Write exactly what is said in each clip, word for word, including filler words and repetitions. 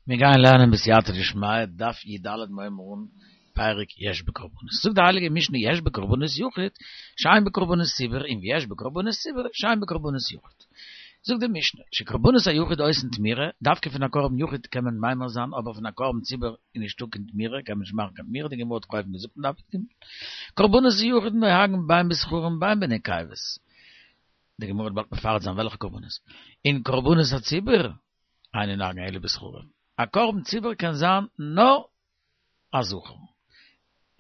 מיר גייען לערנען בסייעתא דשמיא, דף י"ד מיר הייבן אן, פרק יש בקרבנות. זאגט די הייליגע משנה יש בקרבנות יחיד, שאין בקרבנות ציבור, און ויש בקרבנות ציבור, שאין בקרבנות יחיד. זאגט די משנה, שקרבנות היחיד עושין תמורה, דווקא פון א קרבן יחיד קען מען ממיר זיין, אבער פון א קרבן ציבור איז נישטא קיין תמורה, קען מען נישט מאכן קיין תמורה, די גמרא האט אויבן געזאגט אין דף י"ג. קרבנות היחיד נוהגין בין בזכרים בין בנקבות. די גמרא וועט באלד מפרט זיין וועלכע קרבנות. און קרבנות הציבור, אין נוהגין אלא בזכרים. א קרבן ציבור קען זיין נאר א זכר.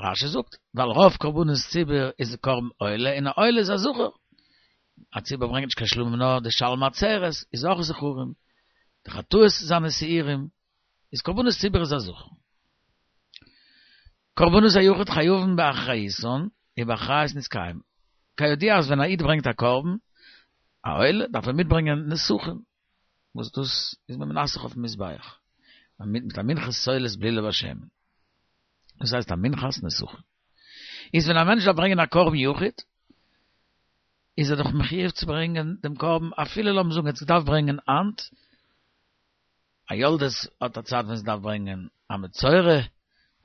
רש"י זאגט, ווייל רוב קרבנות ציבור איז קרבן עולה, און א עולה איז א זכר. א ציבור ברענגט נישט קיין שלמים נאר די שלמי עצרת איז אויך זכרים. די חטאות זענען שעירים, איז קרבנות ציבור איז א זכר. קרבנות היחיד חייבין באחריותן, ובאחריות נתקיים. כידוע אז ווען א איד ברענגט א קרבן, א עולה, דארף ער מיטברענגען נסכים. וואס דאס איז מען מנסך אויפן מזבח, מיט א מנחת סולת בלולה בשמן, דאס הייסט א מנחת נסכים. איז ווען א מענטש דארף ברענגען א קרבן יחיד, איז ער דאך מחיוב צו ברענגען דעם קרבן, אפילו לאמיר זאגן ער האט עס געדארפט ברענגען היינט, א יולדת האט א צייט ווען זי דארף ברענגען, א מצורע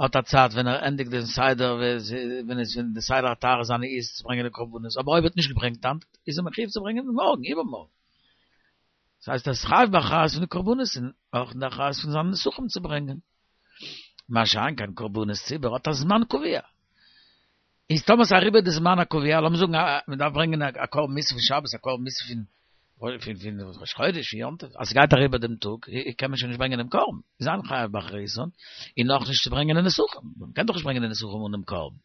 האט א צייט ווען ער ענדיגט דעם סדר, ווען עס ווען די סדר הטהרה זיינע איז צו ברענגען די קרבנות, אבער אויב ער האט נישט געברענגט היינט, איז ער מחיוב צו ברענגען מארגן, איבערמארגן. דאס הייסט ער איז חייב באחריות פון די קרבנות און אויך אין די אחריות פון זיינע נסכים צו ברענגען. מה שאין כן קרבנות ציבור האט א זמן קבוע. איז טאמער ס'איז אריבער די זמן הקבוע, לאמיר זאגן מען דארף ברענגען א קרבן מוסף פון שבת, א קרבן מוסף פון פון ראש חודש, פון יום טוב, אז ס'גייט אריבער דעם טאג, קען מען שוין נישט ברענגען דעם קרבן, איז אין חייב באחריותן, און נאך נישט צו ברענגען די נסכים, מען קען דאך נישט ברענגען די נסכים אן דעם קרבן.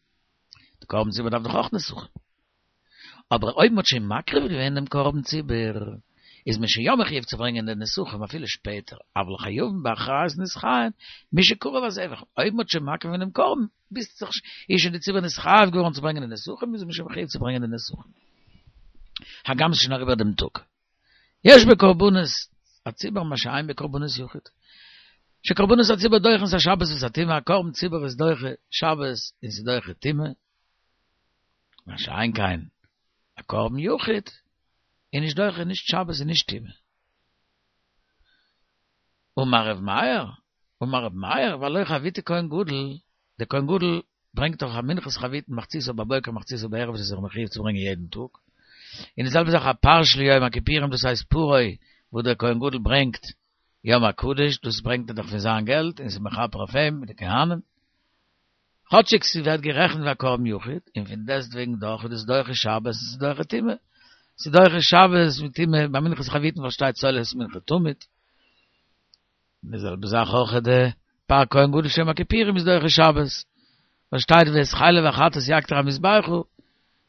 די קרבן ציבור דארף דאך אויך נסכים. אבער אויב מ'האט שוין מקריב געווען דעם קרבן ציבור, איז מען שוין יא מחיוב צו ברענגען די נסכים אפילו שפעטער, אבל חייבין באחריות נתחייב משקרב הזבח, אויב מ'האט שוין מקריב געווען דעם קרבן, ביסט זיך איז שוין די ציבור נתחייב געווארן צו ברענגען די נסכים, איז מען שוין מחיוב צו ברענגען די נסכים. הגם ס'איז שוין אריבער דעם טאג. יש בקרבנות הציבור מה שאין בקרבנות יחיד. שקרבנות הציבור דוחין את השבת ואת הטומאה, א קרבן ציבור איז דוחה שבת און ס'איז דוחה טומאה. מה שאין כן א קרבן יחיד איז נישט דוחה נישט שבת און נישט טומאה. אמר ר' מאיר, אמר ר' מאיר, והלא חביתי כהן גדול, דער כהן גדול ברענגט דאך א מנחת חביתין מחציתה בבוקר מחציתה בערב וואס איז זיך מחיוב צו ברענגען יעדן טאג, און די זעלבע זאך א פר של יום הכיפורים דאס הייסט פרו וואס דער כהן גדול ברענגט יום הקדוש דאס ברענגט ער דאך פון זיין געלט און ס'איז מכפר אויף אים מיט די כהנים. כאטשיג ס'ווערט גערעכנט ווי א קרבן יחיד, און פון דעסטוועגן דאך איז דאס דוחה שבת און ס'איז דוחה טומאה. ס'איז דוחה שבת מיט טומאה, ביי מנחת חביתין וואס שטייט סולת מנחה תמיד. די זעלבע זאך אויך די פר כהן גדול של יום הכיפורים איז דוחה שבת, וואס שטייט ואת חלב החטאת יקטיר המזבחה,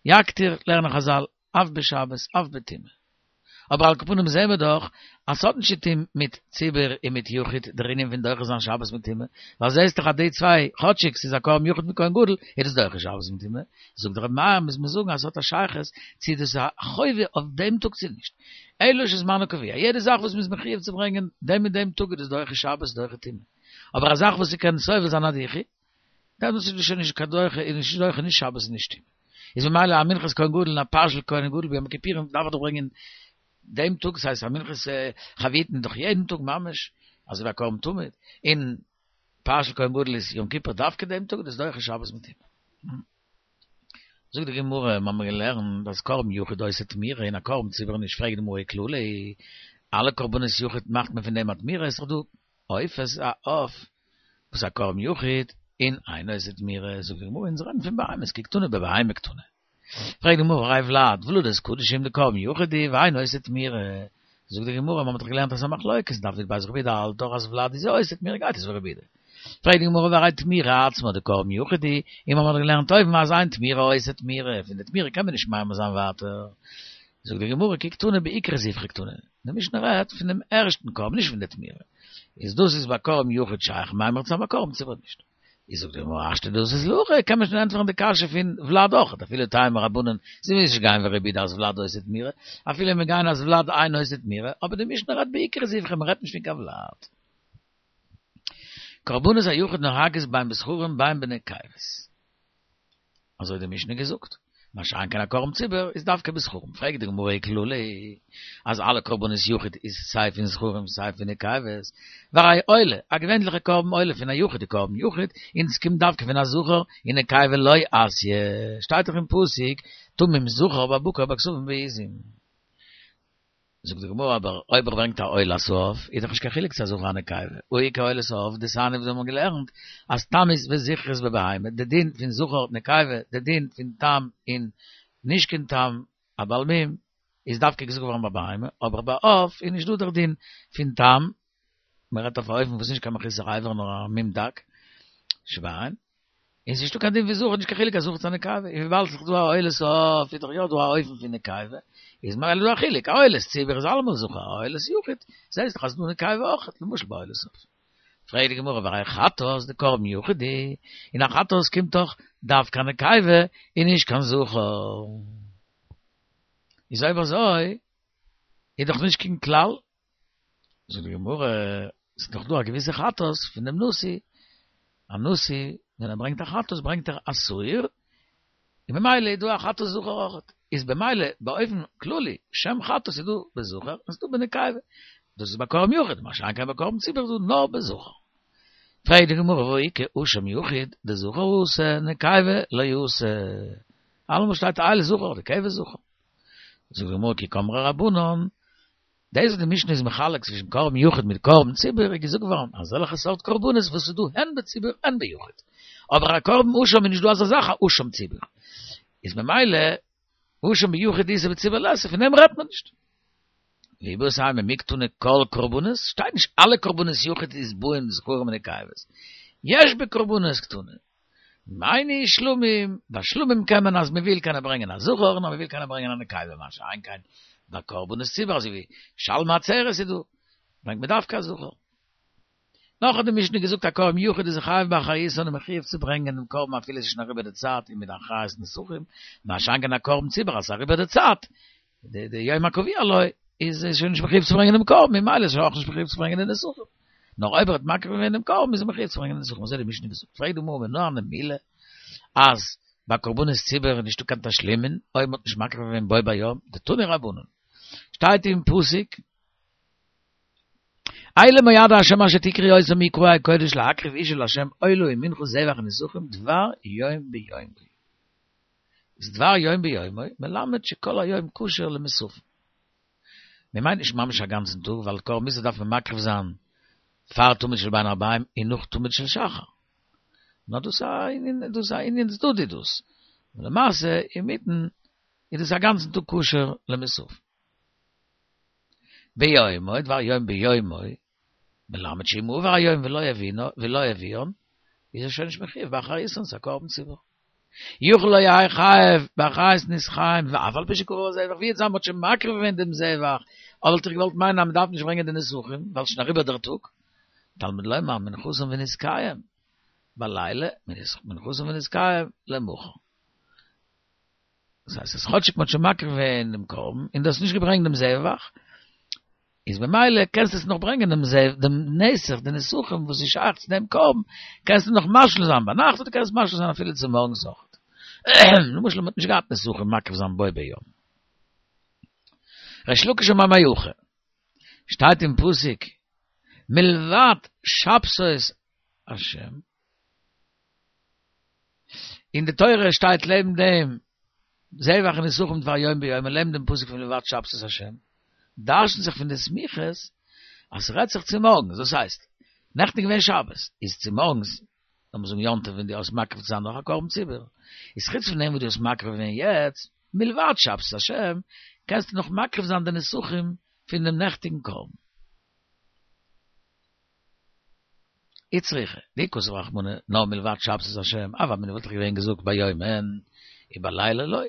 יקטיר לערנען חזל אף בשבת אף בטומאה. אבער על כל פנים זעהן מיר דאך אז ס'האט נישט צו טוהן מיט ציבור און מיט יחיד דער ענין פון דוחה זיין שבת מיט טומאה, ווייל זעהסט דאך אז די צוויי, כאטשיג ס'איז א קרבן יחיד מיט כהן גדול, איז דאס דוחה שבת מיט טומאה. זאגט דער רבי מאיר מוז מען זאגן אז ס'האט א שייכות צו דאס איז א חובה אויף דעם טאג צו נישט. אלא שזמנו קבוע, יעדע זאך וואס מ'איז מחויב צו ברענגען דעם און דעם טאג איז דאס דוחה שבת דוחה טומאה. אבער א זאך וואס ס'קען סובל זיין א דיחוי, דעמאלטס איז דאס שוין נישט קיין דוחה, איז נישט דוחה נישט שבת און נישט טומאה. איז ממילא א מנחת כהן גדול און א פר של כהן גדול ביום הכיפורים דארף איך דאך ברענגען דעם טאג, ס'הייסט א מנחת חביתין איז דאך יעדן טאג ממש, אזוי ווי א קרבן תמיד, און פר של כהן גדול איז יום כיפור דווקא דעם טאג, דאס דוחה שבת מיט טומאה. זאגט די גמרא, מיר האבן געלערנט אז קרבן יחיד עושה תמורה און א קרבן ציבור נישט, פרעגט די גמרא אי כללא, אלע קרבנות יחיד מאכט מען פון דעם א תמורה, איז דאך דא עופות א עוף וואס א קרבן יחיד און אינו עושה תמורה, זאגט די גמרא אונז רעדן פון בהמות כי קתני בבהמה קתני, פרעגט די גמרא והרי ולד, ולדות קדשים דקרבן יחיד הוא ואינו עושה תמורה, זאגט די גמרא מ'האט דאך געלערנט אז ס'איז א מחלוקת דף י"ב רבי יהודה האלט דאך אז ולד איז יא עושה תמורה גייט עס ווי רבי יהודה, פרעגט די גמרא והרי תמורה עצמה דקרבן יחיד הוא, און מ'האט דאך געלערנט אויבן אז אין תמורה עושה תמורה, פון די תמורה קען מען נישט ממיר זיין ווייטער, זאגט די גמרא כי קתני בעיקר זבחא קתני, די משנה רעדט פון דעם ערשטן קרבן נישט פון די תמורה, איז דאס איז ביי קרבן יחיד שייך ממיר צו זיין ביי קרבן ציבור נישט. איז זאגט די גמרא השתא דאתית להכי קען מען שוין ענטפערן די קשיא פון ולד אויך, אפילו תימא רבנן זיי מוזן נישט גיין ווי רבי יהודה אז ולד עושה תמורה, אפילו מיר גייען אז ולד אינו עושה תמורה, אבער די משנה רעדט בעיקר זבחא מען רעדט נישט פון קיין ולד. קרבנות היחיד נוהגות בין בזכרים בין בנקבות. אזוי האט די משנה געזאגט. מה שאין כן א קרבן ציבור איז דווקא בזכרים. פרעגט די גמרא וכללא, אז אלע קרבנות יחיד איז סיי פון זכרים סיי פון נקבות, והרי עולה, א געווענליכע קרבן עולה פון א יחיד די קרבן יחיד, און עס קומט דווקא פון א זכר, ונקבה לא אתיא, שטייט דאך אין פסוק, תמים זכר בבקר בכשפים בעזים. זאגט די גמרא אבער אויב ער ברענגט א עולת העוף איז דאך נישט קיין חילוק צו א זכר א נקבה, והא איכא עולת העוף דתניא וואס מיר האבן געלערנט אז תמות וזכרות בבהמה, די דין פון זכר נקבה, די דין פון תם און נישט קיין תם א בעל מום איז דווקא געזאגט געווארן ביי בהמה, אבער ביי עוף איז נישט דא דער דין פון תם, מען רעדט אויף א אופן וואס איז נישט קיין מחוסר אבר נאר א מום דק שבעין. און ס'איז נישטא קיין דין פון זכר, נישט קיין חילוק א זכר צו א נקבה, און וויבאלד ס'איז דא א עולת העוף איז דאך יא דא א אופן פון נקבה, איז ממילא דא א חילוק, א עולת ציבור איז אלעמאל זכר, א עולת יחיד, זעהסט דאך אז ס'איז דא נקבה אויך, למשל ביי עולת העוף. פרעגט די גמרא והרי חטאת דקרבן יחיד הוא, און א חטאת קומט דאך דווקא א נקבה און נישט קיין זכר. איז אויב אזוי איז דאך נישט קיין כלל. זאגט די גמרא, ס'איז דאך דא א געוויסע חטאת פון דעם נשיא, א נשיא ווען ער ברענגט א חטאת ברענגט ער א שעיר, און ממילא איז דא א חטאת זכר אויך, איז במילא באופן כללי שם חטאת איז דא בזכר און ס'איז דא בנקבה, דאס איז ביי קרבן יחיד, מה שאין כן ביי קרבן ציבור איז דא נאר בזכר. פרעגט די גמרא והא איכא אשם יחיד דזכר אתי נקבה לא אתי, אלעמאל שטייט איל זכר אדער כבש זכר. זאגט די גמרא כי קאמרי רבנן, דאס וואס די משנה איז מחלק צווישן קרבן יחיד מיט קרבן ציבור איז געזאגט געווארן אזעלכע סארט קרבנות וואס איז דא הן בציבור הן ביחיד, אבער א קרבן אשם איז נישט דא אזא זאך א אשם ציבור, איז ממילא אשם ביחיד איתא בציבור ליתא פון דעם רעדט מען נישט. ואיבעית אימא מי קתני כל קרבנות, שטייט נישט אלע קרבנות יחיד איז באין זכרים ונקבות, יש בקרבנות קתני. מאי ניהו שלמים, ביי שלמים קען מען אז מען וויל קען ער ברענגען א זכר און אז מען וויל קען ער ברענגען א נקבה מה שאין כן ביי קרבנות ציבור אזוי ווי שלמי עצרת איז דא ברענגט מען דווקא א זכר. נאך האט די משנה געזאגט א קרבן יחיד איז חייב באחריותן און מחויב צו ברענגען דעם קרבן אפילו עס איז שוין אריבער די צייט און מיט די אחריות נסכים, מה שאין כן א קרבן ציבור אז עס איז אריבער די צייט די די יום הקבוע לו איז ער שוין נישט מחויב צו ברענגען דעם קרבן ממילא איז ער אויך נישט מחויב צו ברענגען די נסכים נאר אויב ער האט מקריב געווען דעם קרבן איז ער מחויב צו ברענגען די נסכים אזוי האט די משנה געזאגט פרעגט די גמרא מנא הני מילי אז ביי קרבנות ציבור איז נישטא קיין תשלומין אויב מ'האט נישט מקריב געווען בו ביום דתנו רבנן שטייט אין פסוק אלה מועדי השם אשר תקראו אותם מקראי קודש להקריב אשה להשם עולה ומנחה זבח ונסכים דבר יום ביומו איז דבר יום ביומו מלמד שכל היום כשר למוספין. מען מיינט נישט ממש א גאנצן טאג, ווייל קרבן מוסף דארף מען מקריב זיין פאר תמיד של בין הערביים און נאך תמיד של שחר. נאר דאס איז א ענין, דאס איז א ענין צדדי דאס. למעשה אינמיטן איז דאס א גאנצן טאג כשר למוספין. ביומו, דבר יום ביומו, מלמד שאם עבר היום ולא הביאנו, ולא הביאן, איז ער שוין נישט מחויב באחריותן, ס'איז א קרבן ציבור. יכול לא יהא חייב באחריות נסכים, ואף על פי שקרב הזבח, ווי יעצט זיין מ'האט שוין מקריב געווען דעם זבח, אבער וואלט איך געוואלט מיינען אז מ'דארף נישט ברענגען די נסכים, ווייל ס'שוין אריבער דער טאג. תלמוד לומר מנחתם נסכיהם בלילה, מנחתם ונסכיהם למחר. דאס הייסט אז כאטשיג מ'האט שוין מקריב געווען דעם קרבן, און דו האסט נישט געברענגט דעם זבח, איז במילא קענסטו עס נאך ברענגען דעם זב דעם נסך די נסכים וואס איז שייך צו דעם קרבן, קענסטו נאך משלים זיין ביינאכט אדער קענסט משלים זיין אפילו צומארגנס אויך. למשל מ'האט נישט געהאט נסכים מקריב זיין בו ביום. ריש לקיש אמר מהכא, שטייט אין פסוק מלבד שבתות השם, אין די תורה שטייט לעבן דעם זבח ונסכים דבר יום ביומו לעבן דעם פסוק פון מלבד שבתות השם, דרש'נט זיך פון די סמיכות אז ס'רעדט זיך צומארגנס, דאס הייסט, נעכטן איז געווען שבת, איז צומארגנס, לאמיר זאגן יום טוב ווען דו האסט מקריב צו זיין נאך א קרבן ציבור, איז חוץ פון דעם וואס דו האסט מקריב געווען יעצט, מלבד שבתות השם, קענסטו נאך מקריב זיין די נסכים פון דעם נעכטיגן קרבן. איצטריכא, דאי כתב רחמנא נאר מלבד שבתות השם, הוה אמינא וואלט איך געווען געזאגט ביום אין, ובלילה לא.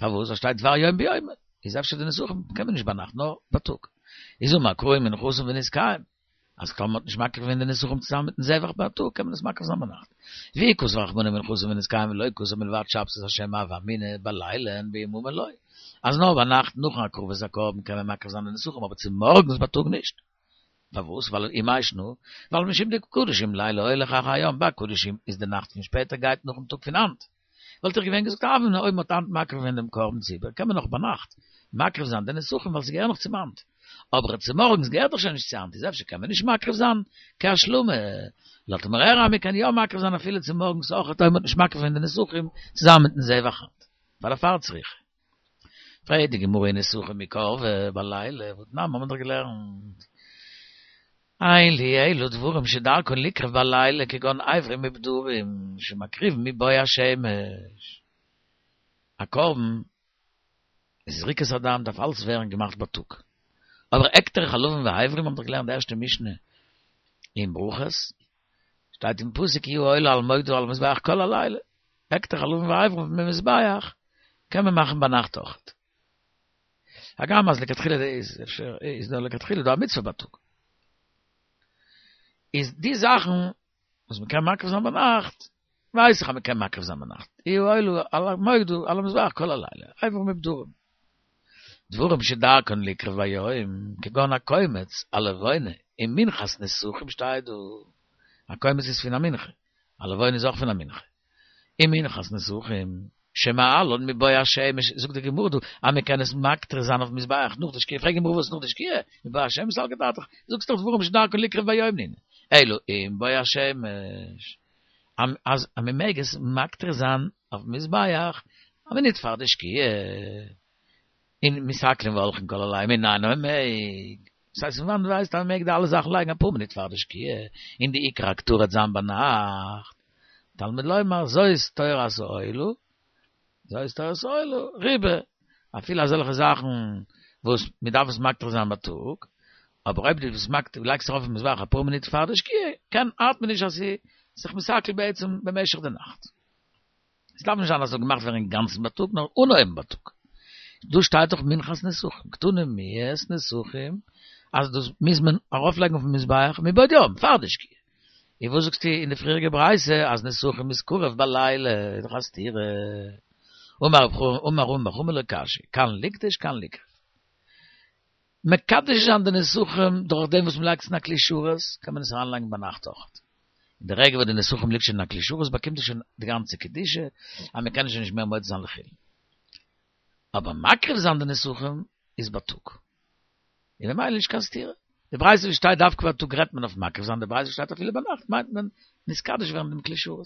פארוואס? ווייל שטייט דבר יום ביומו, איז אפשר די נסכים קען מען נישט ביינאכט נאר בייטאג. איז אמר קרא ומנחתם ונסכיהם, אז טאמער מ'האט נישט מקריב געווען די נסכים צוזאמען מיטן זבח בייטאג קען מען עס מקריב זיין ביינאכט. ואי כתב רחמנא ומנחתם ונסכיהם ולא כתב מלבד שבתות השם הוה אמינא בלילה אין ביממא לא. אז נאר ביינאכט נאכן הקרבת הקרבן קען מען מקריב זיין די נסכים אבער צומארגנס בייטאג נישט. פארוואס? ווייל ומאי שנא, ווייל משום דקדשים לילה הולך אחר היום, ביי קדשים איז די נאכט פון שפעטער גייט נאכן טאג פון היינט, וואלט איך געווען געזאגט אבן אויב מ'האט היינט מקריב געווען דעם קרבן ציבור, קען מען נאך ביינאכט מקריב זיין די נסכים ווייל ס'געהער נאך צום היינט. אבער צומארגנס געהערט דאך שוין נישט צו היינט, איז אפשר קען מען נישט מקריב זיין כהשלמה. לאזט מיר הערן אז מ'קען יא מקריב זיין אפילו צומארגנס אויך אויב מ'האט נישט מקריב געווען די נסכים צוזאמען מיטן זבח היינט. ווייל דערפאר צריכא. פרעגט די גמרא אי נסכים מי קרבי בלילה, והתנן האבן מיר דאך געלערנט. אין לי אלא דברים שדרכן ליקרב בלילה כגון אברים ופדרים שמקריבין מבוא השמש. א קרבן זריקת הדם דארף אלץ ווערן געמאכט בייטאג. אבער הקטר חלבים ואיברים האבן דאך געלערנט די ערשטע משנה אין ברכות, שטייט אין פסוק כי הוא העולה על מוקדה ועל המזבח כל הלילה. הקטר חלבים ואיברים פון מזבח קען מען מאכן ביינאכט אויכעט. הגם אז לכתחילה איז אפשר איז דא לכתחילה דא א מצוה בייטאג. איז די זאכן וואס מען קען מקריב זיין ביינאכט, ווייס איך אז מען קען מקריב זיין ביינאכט. הוא העולה על המוקדה על המזבח כל הלילה, איברים ופדרים. דברים שדרכן ליקרב ביום, כגון הקומץ, הלבונה, און מנחת נסכים שטייט דא. א קומץ איז פון א מנחה, א לבונה איז אויך פון א מנחה. און מנחת נסכים, שמעלן מבוא השמש, זאגט די גמרא דא, אז מען קען עס מקטיר זיין אויפן מזבח נאך די שקיעה, פרעגט די גמרא וואס נאך די שקיעה? מבוא השמש סלקא דעתך, זאגסט דאך דברים שדרכן ליקרב ביום נינהו, אלא עם בוא השמש, אז מען מעג עס מקטיר זיין אויפן מזבח א מינוט פאר די שקיעה, און מתעכלין והולכין כל הלילה מנין אז מען מעג, דאס הייסט פון וואנעט ווייסטו אז מען מעג די אלע זאכן לייגן אפאר מינוט פאר די שקיעה, און די עיקר הקטרה וועט זיין ביינאכט, תלמוד לומר זאת תורת העולה, זאת תורת העולה, ריבה, אפילו אזעלכע זאכן וואס מען דארף עס מקטיר זיין בייטאג, אבער אויב דו ביסט מקטיר, לייגסט ארויף אויפן מזבח אפאר מינוט פאר די שקיעה, קען ארט מען נישט אז ס'איז זיך מתעכל בעצם במשך די נאכט. עס דארף נישט זיין אז עס זאל געמאכט ווערן אינגאנצן בייטאג, נאר אנהויבן בייטאג. דא שטייט דאך מנחת נסכים, קתני מיהת נסכים, אז דאס מוז מען ארויפלייגן אויפן מזבח מבעוד יום, פאר די שקיעה. און וואס זאגסטו אין די פריעריגע ברייתא אז נסכים איז קרב בלילה, איז דאך א סתירה. אמר אמר רמי בר חמא לא קשיא, כאן ליקדש כאן ליקרב. מקדש זיין די נסכים דורך דעם וואס מ'לייגט עס אין א כלי שרת, קען מען עס אריינלייגן ביינאכט אויך. אין די רגע וואס די נסכים ליגט שוין אין א כלי שרת באקומט עס שוין די גאנצע קדושה, אז מ'קען עס שוין נישט מער מוציא זיין לחולין. אבער מקריב זיין די נסכים איז בייטאג. און ממילא נישט קיין סתירה. די ברייתא וואס שטייט דווקא בייטאג רעדט מען אויף מקריב זיין, די ברייתא וואס שטייט אפילו ביינאכט מיינט מען נתקדש ווערן דעם כלי שרת.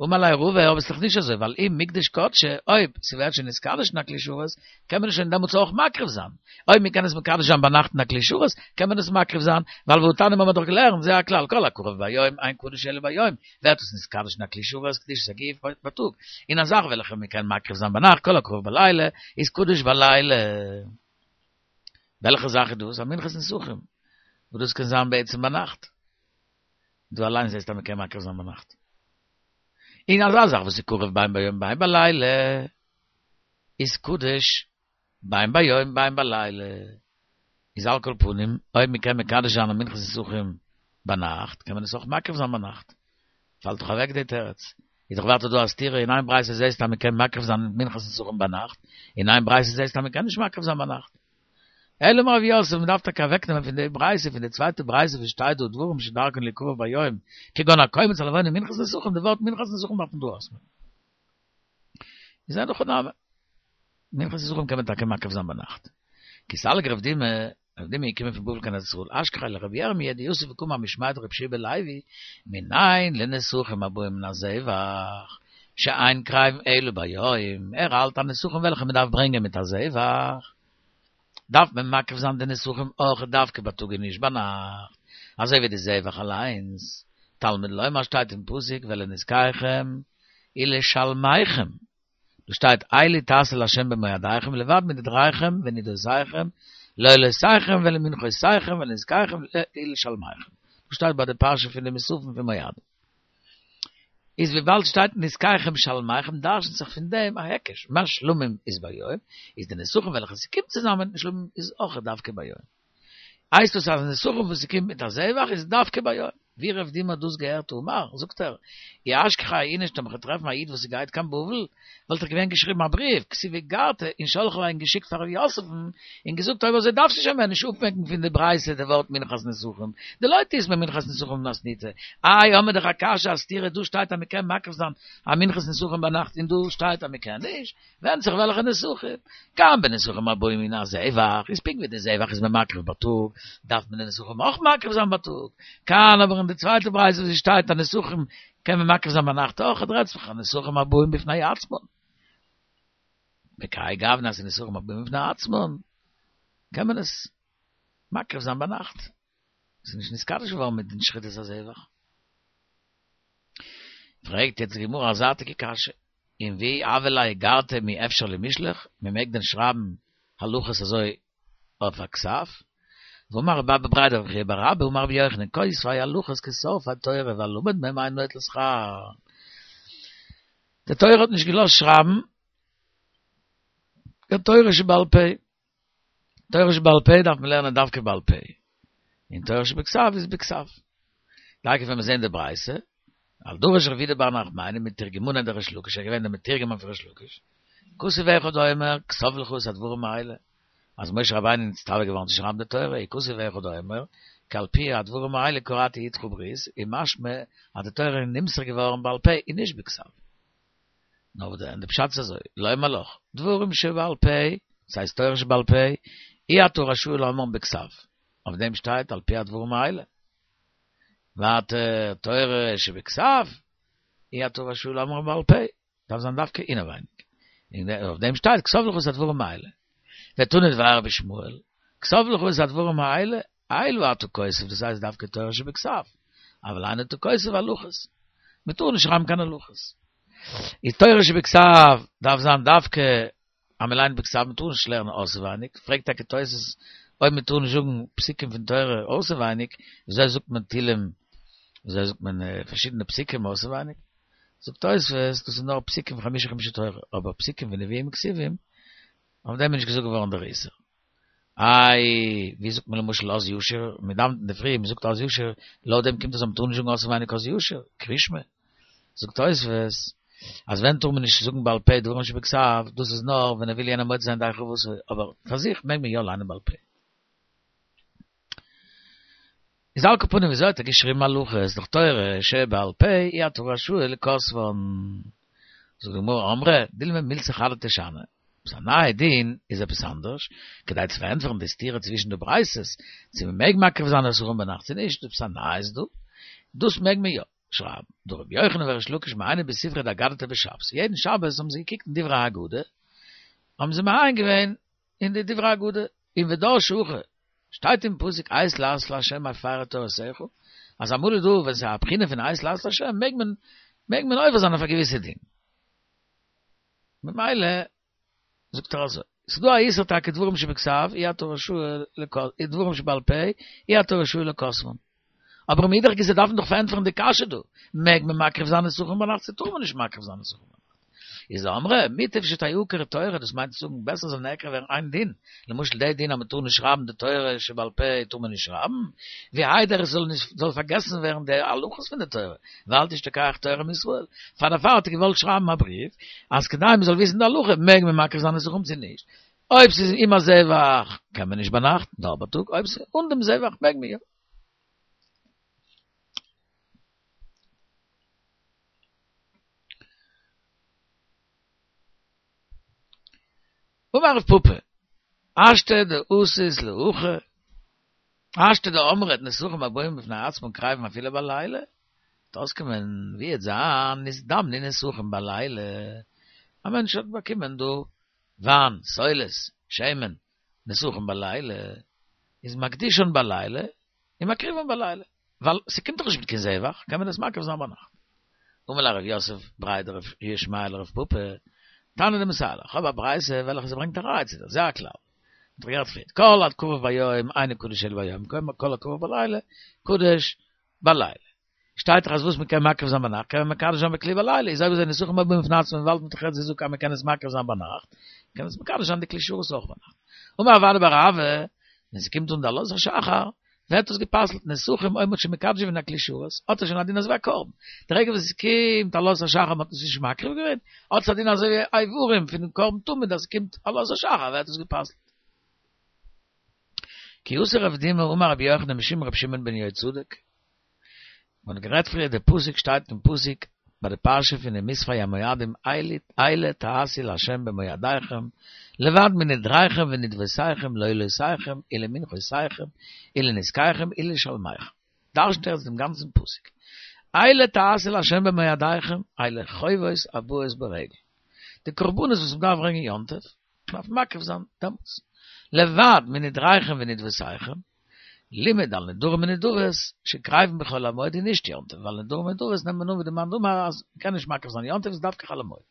אמר ליה רבא, אבער ס'איז דאך נישט אזוי, ווייל אם מקדש קדשי, אויב ס'ווערט שוין נתקדש אין א כלי שרת, קען מען עס שוין דעמאלטס אויך מקריב זיין. אויב מ'קען עס מקדש זיין ביינאכט אין א כלי שרת, קען מען עס מקריב זיין, ווייל והתניא האבן מיר דאך געלערנט, זה הכלל, כל הקרב ביום, אין קדוש אלא ביום, ווערט עס נתקדש אין א כלי שרת, קדושת הגוף בייטאג. און א זאך וועלכע מ'קען מקריב זיין ביינאכט, כל הקרב בלילה, איז קדוש בלילה. וועלכע זאך איז דאס? א מנחת נסכים, וואס דאס קען זיין בעצם ביינאכט. דו אליין זעסט אז מ'קען מקריב זיין ביינאכט. און אזא זאך וואס איז קרב בין ביום בין בלילה, איז קדוש בין ביום בין בלילה. איז על כל פנים, אויב מ'קען מקדש זיין א מנחת נסכים ביינאכט, קען מען עס אויך מקריב זיין ביינאכט. פאלט דאך אוועק די תירוץ. איז דאך ווייטער דא א סתירה, אין איין ברייתא זעסטו אז מ'קען מקריב זיין מנחת נסכים ביינאכט, אין איין ברייתא זעסטו אז מ'קען נישט מקריב זיין ביינאכט. אלא אמר רב יוסף, מ'דארף טאקע אוועקנעמען פון די ברייתא, פון די צווייטע ברייתא וואס שטייט דא דברים שדרכן ליקרב ביום, כגון הקומץ הלבונה מנחת נסכים, די ווארט מנחת נסכים דארף מען דא אויסמעקן. איז אין הכי נמי. מנחת נסכים קען מען טאקע מקריב זיין ביינאכט. כי סליק רב דימי, רב דימי איז געקומען פון בבל קיין ארץ ישראל, אשכחיה לרבי ירמיה דיתיב וקאמר משמיה דרבי יהושע בן לוי, מנין לנסכים הבאים מן הזבח, שאין קרבין אלא ביום, ער האלט אז נסכים וועלכע מען דארף ברענגען מיט א זבח, דארף מען מקריב זיין די נסכים אויך דווקא בייטאג און נישט ביינאכט, אזוי ווי די זבח אליינס, תלמוד לומר שטייט אין פסוק ולנסכיכם ולשלמיכם, דא שטייט אלו תעשו לה' במועדיכם לבד מנדריכם ונדותיכם לעולותיכם ולמנחותיכם ולנסכיכם ולשלמיכם, דא שטייט ביי די פרשה פון די מוספים פון מועדים. איז וויבאלד שטייט נסכיכם שלמיכם דרש'נט זיך פון דעם א היקש, מה שלמים איז ביום, איז די נסכים וועלכע ס'קומט צוזאמען מיטן שלמים איז אויך דווקא ביום. הייסט דאס אז נסכים וואס ס'קומט מיט א זבח איז דווקא ביום, ווי רב דימי האט דאס געהערט אמר, זאגט ער, אי אשכחיה איניש טאמער כ'וועל טרעפן א איד וואס גייט קיין בבל, וואלט איך געווען געשריבן א בריוו, כתיב איגרתא, און שלח ליה און געשיקט פאר ר' יוסף'ן, און געזאגט אויב אזוי דארפסטו שוין מער נישט אפמעקן פון די ברייתא די ווארט מנחת נסכים, דלא תיתמר מנחת נסכים במתניתא, איי האמיר דאך א קשיא א סתירה דא שטייט אז מ'קען מקריב זיין א מנחת נסכים ביינאכט און דא שטייט אז מ'קען נישט, ווענדט זיך וועלכע נסכים. כאן בנסכים הבאים מן הזבח, איז פונקט ווי די זבח איז מען מקריב בייטאג, דארף מען די נסכים אויך מקריב זיין בייטאג. כאן אבער אין די צווייטע ברייתא וואס עס שטייט אז נסכים קען מען מקריב זיין ביינאכט אויך, רעדט זיך אז נסכים הבאים בפני עצמן. בכהאי גוונא אז נסכים הבאים בפני עצמן, קען מען עס מקריב זיין ביינאכט. עס איז נישט נתקדש געווארן מיט דעם שחיטת הזבח. פרעגט יעצט די גמרא א זייטיגע קשיא, און ווי הוה ליה איגרתא מי אפשר למישלח, מען מעג דען שרייבן הלכות אזוי אויף א כתב? והאמר רב אבא בריה דרב חייא בר אבא אמר רבי יוחנן כותבי הלכות כשורפי תורה והלומד מהם אינו נוטל שכר. די תורה האט נישט געלאזט שרייבן קיין תורה שבעל פה. תורה שבעל פה דארף מען לערנען דווקא בעל פה, און תורה שבכתב איז בכתב. טאקע ווען מיר זעהן די ברייתא, על דרש רב יהודה בר נחמני מתורגמניה דריש לקיש, ער איז געווען דער מתורגמן פון ריש לקיש, כתוב אחד אומר, כתוב לך את הדברים האלה, אז משה רבינו איז נצטווה געווארן צו שרייבן די תורה, וכתוב אחד אומר, כי על פי הדברים האלה כרתי אתך ברית, איז משמע אז די תורה איז נמסר געווארן בעל פה און נישט בכתב. נאר וואס דען, די פשט איז אזוי, לומר לך, דברים שבעל פה, דאס הייסט תורה שבעל פה, אי אתה רשאי לאומרן בכתב, אויף דעם שטייט על פי הדברים האלה. ווייטער, תורה שבכתב, אי אתה רשאי לאומרן בעל פה, דארף זיין דווקא אינעווייניג. און אויף דעם שטייט כתוב לך את הדברים האלה. ותנא דבי רבי ישמעאל, כתוב לך את הדברים האלה, אלו אתה כותב, דאס הייסט דווקא תורה שבכתב, אבל אין אתה כותב הלכות. מען טאר נישט שרייבן קיין הלכות. איז תורה שבכתב דארף זיין דווקא אז מען ליינט בכתב, מען טאר נישט לערנען אויסעווייניג, פרעגט טאקע תוס' אויב מען טאר נישט זאגן פסוקים פון תורה אויסעווייניג, וויאזוי זאגט מען תהילים, וויאזוי זאגט מען פארשידענע פסוקים אויסעווייניג? זאגט תוס' דאס איז נאר פסוקים פון חמשה חומשי תורה, אבער פסוקים פון נביאים וכתובים, אויף דעם איז נישט געזאגט געווארן דער איסור. איי, ווי זאגט מען למשל אז ישיר, מען דאווענט אינדערפרי, מען זאגט אז ישיר, לויט דעם קומט אויס אז מען טאר נישט זאגן אויסעווייניג אז ישיר, קריאת שמע. זאגט תוספות, אז ווען טאר מען נישט זאגן בעל פה דברים שבכתב, דאס איז נאר ווען ער וויל יענעם מוציא זיין ידי חובתו, אבער פאר זיך מעג מען יא ליינען בעל פה. איז על כל פנים וויאזוי האט ער געשריבן הלכות דאך תורה שבעל פה אי אתה רשאי לכותבן. זאגט די גמרא אמרי דילמא מילתא חדתא שאני, עפעס א נייע דין איז עפעס אנדערש, כדי צו פארענטפערן די סתירה צווישן די ברייתות צו מען מעג מקריב זיין נסכים ביינאכט צו נישט, עפעס א נייעס דא, דאס מעג מען יא שרייבן, דרבי יוחנן וריש לקיש מעייני בספרא דאגדתא בשבתא, יעדן שבת האבן זיי געקוקט אין דברי ההגדה, האבן זיי מעיין געווען אין די דברי הגדה, און ודרשי הכי, שטייט אין פסוק עת לעשות לה' הפרו תורתך, אז אמאל איז דא ווען ס'איז א בחינה פון עת לעשות לה' מעג מען מעג מען עובר זיין אויף א געוויסע דין. ממילא זאגט ער אזוי, ס'איז דא א איסור טאקע דברים שבכתב אי אתה רשאי דברים שבעל פה אי אתה רשאי לכותבן. אבער מאידך גיסא דארף מען דאך פארענטפערן די קשיא דא, מעג מען מקריב זיין נסכים ביינאכט צו טאר מען נישט מקריב זיין נסכים ביינאכט? איז אמרי, מוטב שתעקר תורה, דאס מיינט צו זאגן בעסער זאל נעקר ווערן איין דין, למשל די דין אז מען טאר נישט שרייבן די תורה שבעל פה טאר מען נישט שרייבן, ווי איידער עס זאל נישט זאל פארגעסן ווערן די הלכות פון די תורה, ואל תשתכח תורה מישראל, פאר דערפאר האט ער געוואלט שרייבן א בריוו אז כדי מען זאל וויסן די הלכה מעג מען מקריב זיין נסכים צו נישט, אויב ס'איז עם הזבח קען מען נישט ביינאכט, נאר בייטאג, אויב ס'איז אן דעם זבח מעג מען יא. אמר רב פפא, השתא דאתית להכי, השתא דאמרת נסכים הבאים בפני עצמן קריבין אפילו בלילה, וועט אויסקומען ווי עט זיין נזדמנו נסכים בלילה, א מענטש האט באקומען דא וויין, סולת, שמן, נסכים בלילה, איז מקדישן בלילה, און מקריבן בלילה, ווייל ס'קומט דאך נישט מיט קיין זבח, קען מען עס מקריב זיין ביינאכט. אמר ליה רב יוסף בריה דרב ישמעאל לרב פפא, תנא דמסייע לך, כ'האב א ברייתא וועלכע ס'ברענגט א ראיה צו דיר, זה הכלל. מ'האט דאך גערעדט פריער, כל הקרב ביום אינו קדוש אלא ביום, כל הקרב בלילה קדוש בלילה. שטייט דאך אז וואס מ'קען מקריב זיין ביינאכט קען מען מקדש זיין בכלי בלילה, איז אויב אזוי נסכים הבאים בפני עצמן וויבאלד מ'האט דאך יעצט געזאגט אז מ'קען עס מקריב זיין ביינאכט, קען מען עס מקדש זיין די כלי שרת אויך ביינאכט. אמר רב אדא בר אהבה, ווען ס'קומט אן די עלות השחר, ווערט דאס געפסלט נסכים אויב מ'האט שוין מקדש געווען א כלי שרת, האט ער שוין א דין אזוי ווי א קרבן. די רגע וואס עס קומט עלות השחר מ'האט עס נישט מקריב געווען, האט עס א דין אזוי ווי איברים פונעם קרבן תמיד אז עס קומט עלות השחר ווערט עס געפסלט. כי אתא רב דימי אמר רבי יוחנן משום רבי שמעון בן יהוצדק, מ'האט גערעדט פריער די פסוק שטייט אין פסוק ביי די פרשה פון די מספר המועדים אלה תעשו לה' במועדיכם לבד מנדריכם ונדבותיכם לעולותיכם ולמנחותיכם ולנסכיכם ולשלמיכם דרש'נט ער דעם גאנצן פסוק אלה תעשו לה' במועדיכם אלו חובות הבאות ברגל די קרבנות וואס מ'דארף ברענגען יום טוב מ'דארף מקריב זיין דעמאלטס לבד מנדריכם ונדבותיכם לימד על נדרים ונדבות שקרבין בחול המועד און נישט יום טוב, ווייל נדרים ונדבות נעמט מען אן ווי די מאן דאמר אז מ'קען נישט מקריב זיין יום טוב איז דווקא חול המועד.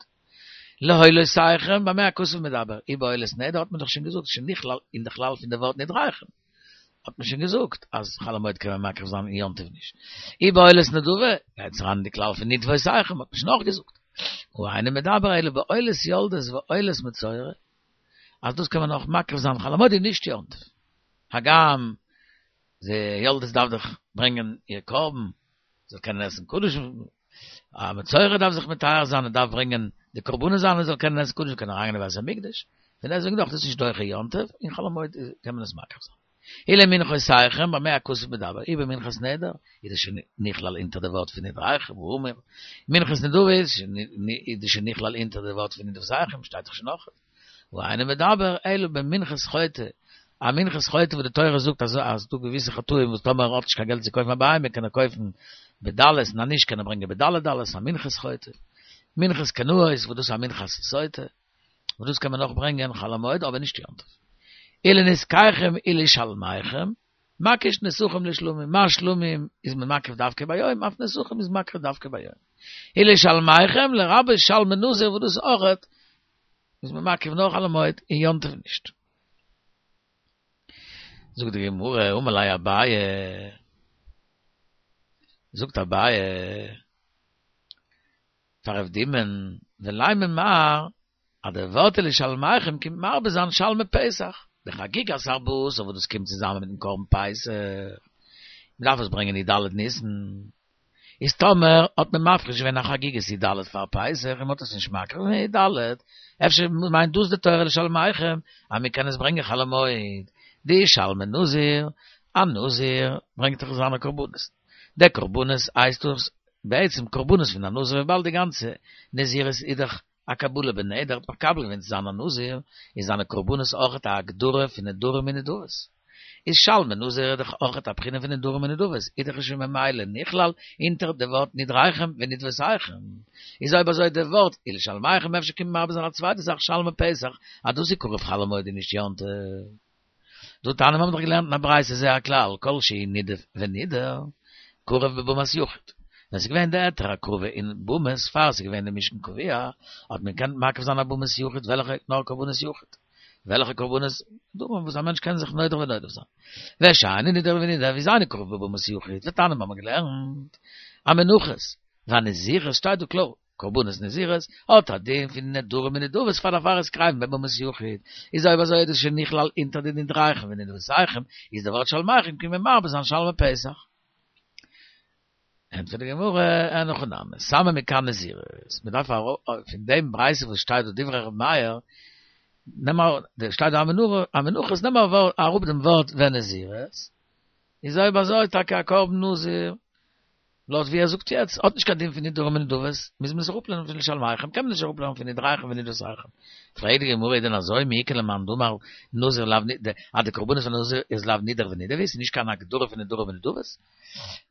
לעולותיכם במה הכתוב מדבר, אי בעולת נדר האט מען דאך שוין געזאגט שוין נכלל אין די כלל פון די ווארט נדריכם האט מען שוין געזאגט אז חול המועד קען מען מקריב זיין און יום טוב נישט. אי בעולת נדבה גייט עס אריין אין די כלל פון נדבותיכם האט מען שוין אויך געזאגט. והא אינו מדבר אלא בעולת יולדת ועולת מצורע אז דאס קען מען אויך מקריב זיין חול המועד און נישט יום טוב. הגם די יולדת דארף דאך ברענגען איר קרבן, זאל קענען עסן קדשים, א מצורע דארף זיך מטהר זיין און דארף ברענגען די קרבנות זיינע זאל קענען עסן קדשים, קענען אריינגיין אין בית המקדש, פון דעסטוועגן דאך דאס נישט דוחה יום טוב, און חול המועד קען מען עס מקריב זיין. ולמנחותיכם במה הכתוב מדבר, אי במנחת נדר, איז דאס שוין נכלל אונטער די ווארט פון נדריכם, והאמור, מנחת נדבה איז דאס שוין נכלל אונטער די ווארט פון נדבותיכם, שטייט דאך שוין נאך. והא אינו מדבר אלא במנחת חוטא, א מנחת חוטא וואס די תורה זאגט אז אז דא געוויסע חטאים וואס טאמער ער האט נישט קיין געלט צו קויפן א בהמה קען ער קויפן בדלות און אז נישט קען ער ברענגען בדלי דלות א מנחת חוטא, מנחת קנאות וואס דאס איז א מנחת סוטה וואס דאס קען מען אויך ברענגען חול המועד אבער נישט יום טוב. ולנסכיכם ולשלמיכם, מקיש נסכים לשלמים, מה שלמים איז מען מקריב דווקא ביום, אף נסכים איז מקריב דווקא ביום. ולשלמיכם לרבות שלמי נזיר וואס דאס אויכעט איז מען מקריב נאר חול המועד און יום טוב נישט. זאגט די גמרא, אמר ליה אביי, זאגט אביי פאר רב דימא'ן, ולימא מר, אז די ווארט ולשלמיכם קומט מרבה זיין שלמי פסח, דחגיגת ארבעה עשר וואס דאס קומט צוזאמען מיטן קרבן פסח, מען דארף עס ברענגען י"ד ניסן, איז טאמער האט מען מפריש געווען א חגיגת י"ד פאר פסח און מ'האט עס נישט מקריב געווען י"ד, אפשר מיינט דאס די תורה לשלמיכם אז מ'קען עס ברענגען חול המועד, דאי שלמי נזיר, א נזיר ברענגט דאך זיינע קרבנות, די קרבנות הייסט דאס בעצם קרבנות פון א נזיר וויבאלד די גאנצע נזירות איז דאך א קבלה בנדר האט מקבל געווען צו זיין א נזיר, איז זיינע קרבנות אויכעט א הגדרה פון נדרים און נדבות. איז שלמי נזיר איז דאך אויכעט א בחינה פון נדרים און נדבות, איז דאך שוין ממילא נכלל אונטער די ווארט נדריכם ונדבותיכם. איז אויב אזוי די ווארט ולשלמיכם אפשר קומט מרבה זיין א צווייטע זאך שלמי פסח אז דאס איז קרב חול המועד און נישט יום טוב. דהא תניא מיר האבן דאך געלערנט אין א ברייתא זה הכלל כל שהוא נידב ונידר קרב בבמת יחיד. ווען ס'איז געווען די היתר הקרבה אין במות פאר ס'איז געווען די משכן קבוע האט מען געקענט מקריב זיין א במת יחיד וועלכע נאר קרבנות יחיד וועלכע קרבנות דברים וואס א מענטש קען זיך נודר ונדב זיין ושאינו נידב ונידר איז אינו קרב בבמת יחיד ותניא מיר האבן געלערנט המנחות והנזירות שטייט דא קלאר קרבנות נזירות האט א דין פון נדרים ונדבות פאר דערפאר איז קרבין בבמת יחיד, איז אויב אזוי איז דאס שוין נכלל אונטער די נדריכם ונדבותיכם, איז די ווארט שלמיכם קומט מרבה זיין שלמי פסח. ענטפערט די גמרא, אין הכי נמי, סמא מכאן נזירות, מען דארף פון דעם ברייתא וואס שטייט דא דברי ר' מאיר, נעם אראפ, שטייט דא המנחות, נעם אראפ דעם ווארט ונזירות, איז אויב אזוי טאקע א קרבן נזיר, לויט ווי ער זאגט יעצט, האט נישט קיין דין פון נדרים ונדבות, מוז מען עס אראפלערנען פון לשלמיכם, קען מען נישט אראפלערנען פון נדריכם ונדבותיכם. פרעגט די גמרא איז דען אזוי מי איכא למאן דאמר נזיר לאו נ אז די קרבנות פון נזיר איז לאו נידר ונדבה, ס'איז נישט קיין הגדרה פון נדרים ונדבות?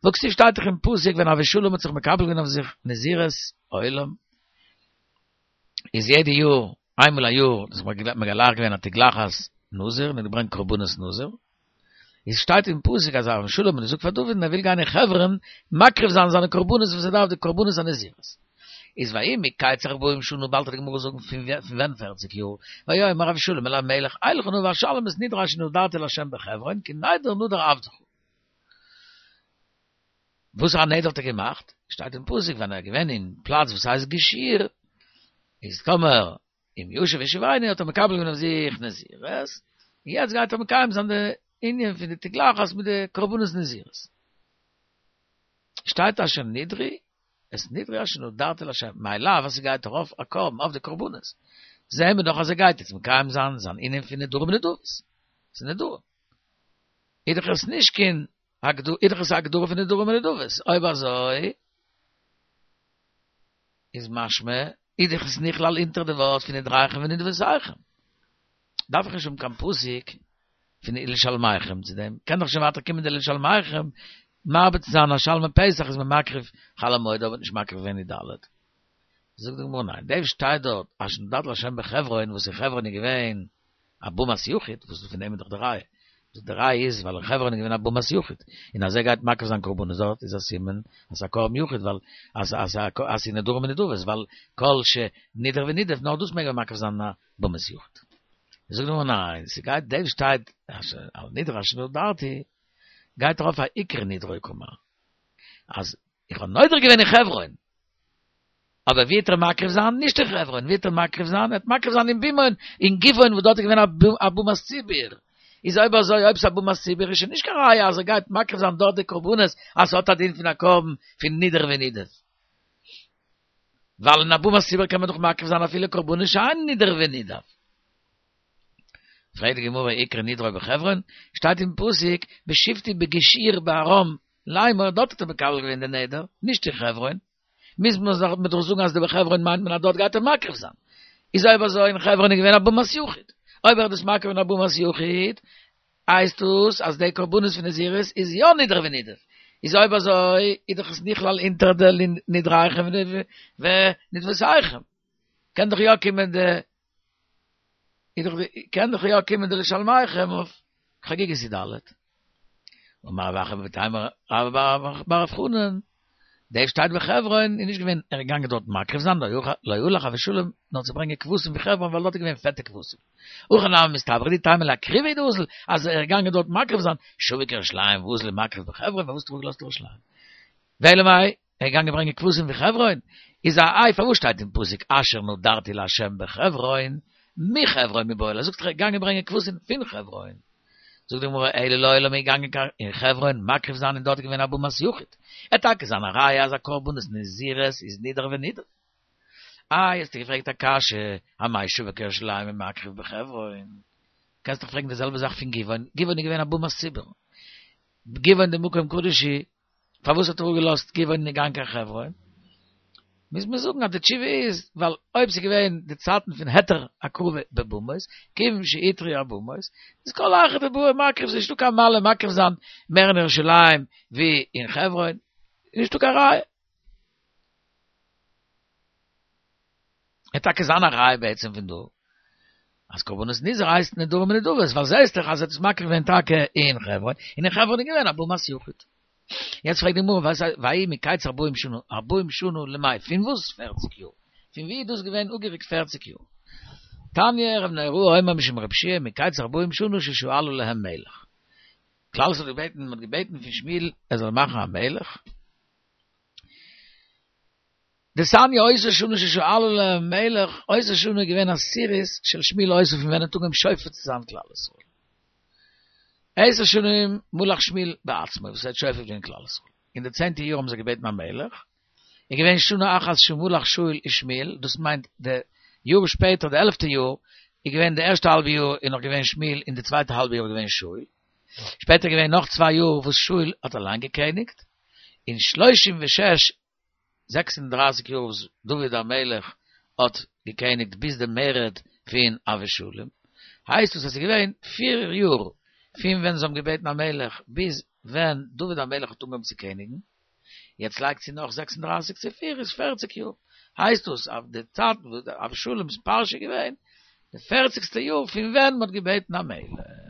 והכתיב שטייט דאך אין פסוק ווען אבשלום האט זיך מקבל געווען אויף זיך נזירות עולם, איז יעדע יאר, איינמאל א יאר, איז מגלח געווען א תגלחת נזיר, און געברענגט קרבנות נזיר, איז שטייט אין פסוק אז אבשלום האט געזאגט פאר דוד ער וויל גיין אין חברון מקריב זיין זיינע קרבנות וואס ער דארף די קרבנות הנזירות. איז ויהי מקץ ארבעים שנה באלד וועט די גמרא זאגן פון ווען פערציג יאר, ויאמר אבשלום אל המלך אלכה נא ואשלם את נדרי אשר נדרתי לה' בחברון כי נדר נדר עבדך. וואס א נדר האט ער געמאכט? שטייט אין פסוק ווען ער איז געווען אין פלאץ וואס הייסט גשור, איז טאמער אם ישוב ישיבני האט ער מקבל געווען אויף זיך נזירות, און יעצט גייט ער מקיים זיין די ענין פון די תגלחת מיט די קרבנות נזירות. שטייט אשר נדרי, את נדרי אשר נדרתי להשם, מאי לאו אז ס'גייט ארויף א קרבן אויף די קרבנות. זעהן מיר דאך אז ער גייט יעצט מקיים זיין זיין ענין פון נדרים ונדבות. ס'איז נדרים. איז דאך עס נישט קיין איז דאך עס א הגדרה פון נדרים ונדבות. אויב אזוי איז משמע איז דאך עס נכלל אונטער די ווארט פון נדריכם ונדבותיכם. דארף איך נישט האבן קיין פסוק פון ולשלמיכם צו דעם, קען דאך שוין ווייטער קומען די ולשלמיכם מרבה צו זיין אז שלמי פסח איז מען מקריב חול המועד אבער נישט מקריב געווען י"ד. זאגט די גמרא ניין, דאס שטייט דארט אשר נדרתי להשם בחברון וואס אין חברון איז געווען א במת יחיד, וואס פון דעם איז דאך די ראיה, זאגט די ראיה איז ווייל אין חברון איז געווען א במת יחיד, און אז ער גייט מקריב זיין קרבנות דארט איז א סימן אז ס'איז א קרבן יחיד ווייל אז אז אז ס'איז נדרים ונדבות ווייל כל שנידר ונידב נאר דאס מעג מען מקריב זיין אין א במת יחיד. זאגט די גמרא ניין, ס'גייט דאס שטייט על נדרי אשר נדרתי גייט ארויף א עיקר נדרו קאמר אז איך האב נודר געווען אין חברון, אבער ווי וועט ער מקריב זיין? נישט אין חברון, ווי וועט ער מקריב זיין? ער וועט מקריב זיין אין בימון, אין גבעון וואס דארט איז געווען א במת ציבור, איז אויב אזוי אויב ס'איז א במת ציבור איז שוין נישט קיין ראיה אז ער גייט מקריב זיין דארט די קרבנות אז ס'האט א דין פון א קרבן פון נידר ונידב, ווייל אין א במת ציבור קען מען דאך מקריב זיין אפילו קרבנות שאין נידר ונידב. פרעגט די גמרא עיקר נדרו בחברון, שטייט אין פסוק בשבתי בגשור בארם לאמר, דארט האט ער מקבל געווען די נדר, נישט אין חברון, מוז מען דאך זאגן אז די בחברון מיינט מען אז דארט גייט ער מקריב זיין, איז אויב אזוי אין חברון איז געווען א במת יחיד, אויב ער האט דאס מקריב אין א במת יחיד, הייסט דאס אז די קרבנות פון נזירות איז יא נידר ונידב, איז אויב אזוי איז דאך עס נכלל אונטער די נדריכם ונדבותיכם, קען דאך יא קומען די איז דאך די קען דאך יא קומען די לשלמיכם אויף חגיגת י"ד. אמר רב אחא ותימא רבה בר בר חנן, דאס שטייט בחברון איז נישט געווען ער איז געגאנגען דארט מקריב זיין לא הלך אבשלום נאר צו ברענגען כבשים פון חברון ווייל דארט איז געווען פעטע כבשים. הכא נמי מסתברא דאי תימא לאקרובי הוא דאזיל אז ער איז געגאנגען דארט מקריב זיין שביק ירושלים ואזיל ומקריב בחברון פארוואס האט ער אפגעלאזט ירושלים? ואלא מאי ער איז געגאנגען ברענגען כבשים פון חברון, איז א איי פארוואס שטייט אין פסוק אשר נדרתי לה' בחברון, מחברון מיבעי ליה, זאגט ער איז געגאנגען ברענגען כבשים פון חברון, זאגט די גמרא אלא לעולם איז געגאנגען קיין אין חברון מקריב זיין און דארט איז געווען א במת יחיד, עט טאקע זיין א ראיה אז א קרבנות נזירות איז נידר ונידב. איי האסטו געפרעגט א קשיא, אמאי שביק ירושלים ומקריב בחברון? קענסט דאך פרעגן די זעלבע זאך פון גבעון, גבעון איז געווען א במת ציבור, גבעון דמקום קדוש הוא, פארוואס האט ער אפגעלאזט גבעון און געגאנגען קיין חברון? מוז מען זאגן אז די תשובה איז ווייל אויב ס'איז געווען די צייטן פון היתר הקרבה בבמות, כיוון שהותרו הבמות, איז כל היכא דבעי מקריב, ס'איז נישטא קיין מעלה מקריב זיין מער אין ירושלים ווי אין חברון, נישטא קיין ראיה. עט טאקע זיין א ראיה בעצם פון דא אז קרבנות נזיר הייסט נדרים ונדבות ווייל זעהסט דאך אז ער האט עס מקריב געווען טאקע אין חברון און אין חברון איז געווען א במת יחיד. יעצט פרעגט די גמרא וואס וההיא מקץ ארבעים שנה ארבעים שנה למאי פון וואס פערציג יאר? פון ווי איז דאס געווען אפגעריקט פערציג יאר? תניא רבי נהוראי אומר משום רבי יהושע מקץ ארבעים שנה ששאלו להם מלך כלל ישראל האט געבעטן מען האט געבעטן פון שמואל ער זאל מאכן א מלך דתניא אותה שנה ששאלו להם מלך, אותה שנה איז געווען עשירית של שמואל היתה פון ווען ער האט אנגעהויבן שופט צו זיין כלל ישראל. עשר שנים מלך שמואל בעצמו וואס ער האט שופט געווען כלל ישראל. אין די צענטע יאר האבן זיי געבעטן א מלך, איז געווען שנה אחת שמלך שאול ושמואל, דאס מיינט די יאר שפעטער די עלפטע יאר איז געווען די ערשטע האלבע יאר איז נאך געווען שמואל און די צווייטע האלבע יאר איז געווען שאול. שפעטער איז געווען נאך צוויי יאר וואס שאול האט אליין געקעניגט, און שלושים ושש זעקס און דרײַסיק יאר וואס דוד המלך האט געקעניגט ביז די מרד פון אבשלום, הייסט עס אז ס'איז געווען פיר יאר פון ווען זיי האבן געבעטן א מלך ביז ווען דוד המלך האט אנגעהויבן צו קעניגן, יעצט לייג צו נאך זעקס און דרײַסיק צו פיר איז פֿערציק יאר, הייסט עס אז די צייט וואס אבשלום'ס פרשה איז געווען די פערציגסטע יאר פון ווען מ'האט געבעטן א מלך.